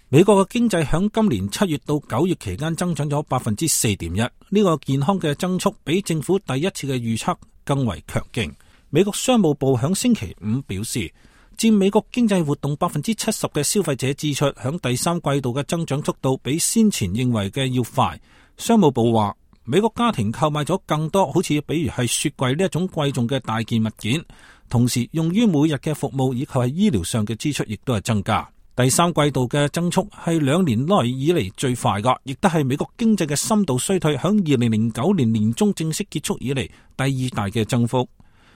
美國嘅經濟響今年7月到9月期間增長咗 4.1%， 呢個健康嘅增速比政府第一次嘅預測更為強勁。美國商務部響星期五表示，佔美國經濟活動 70% 嘅消費者支出響第三季度嘅增長速度比先前認為嘅要快。商務部話，美國家庭購買咗更多好似比如係雪櫃呢一種貴重嘅大件物件，同時用於每日嘅服務以及係醫療上嘅支出亦都係增加。第三季度嘅增速係2年內以嚟最快㗎，亦都係美國經濟嘅深度衰退響2009年年中正式結束以嚟第二大嘅增幅。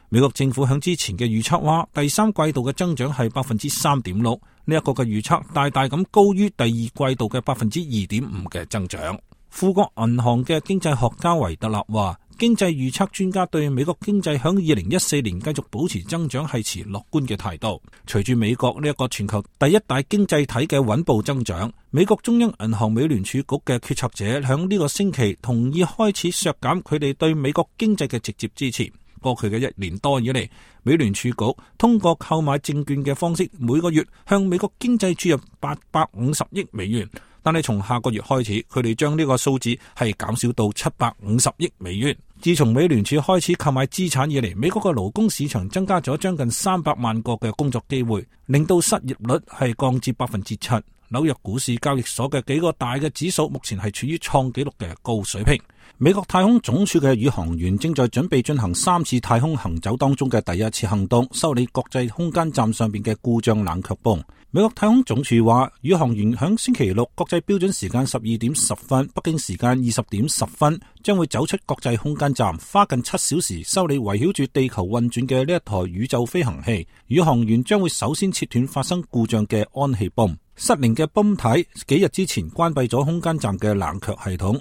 美國政府響之前嘅預測話，第三季度嘅增長係 3.6%， 呢一個嘅預測大大咁高於第二季度嘅 2.5% 嘅增長。富國銀行嘅經濟學家維特納話，經濟預測專家對美國經濟響2014年繼續保持增長係持樂觀嘅態度。隨住美國呢一個全球第一大經濟體嘅穩步增長，美國中央銀行美聯儲局嘅決策者響呢個星期同意開始削減佢哋對美國經濟嘅直接支持。過去嘅1年多以嚟，美聯儲局通過購買證券嘅方式，每個月向美國經濟注入850億美元。但係從下個月開始，佢哋將呢個數字係減少到750億美元。自從美聯儲開始購買資產以嚟，美國嘅勞工市場增加咗將近300萬個嘅工作機會，令到失業率係降至 7%。紐約股市交易所嘅幾個大嘅指數目前係處於創紀錄嘅高水平。美國太空總署嘅宇航員正在準備進行3次太空行走當中嘅第一次行動，修理國際空間站上邊嘅故障冷卻泵。美國太空總署話，宇航員響星期六國際標準時間12點10分，北京時間20點10分，將會走出國際空間站，花近7小時修理圍繞住地球運轉嘅呢一台宇宙飛行器。宇航員將會首先切斷發生故障嘅氨氣泵。失靈嘅泵體幾日之前關閉咗空間站嘅冷卻系統，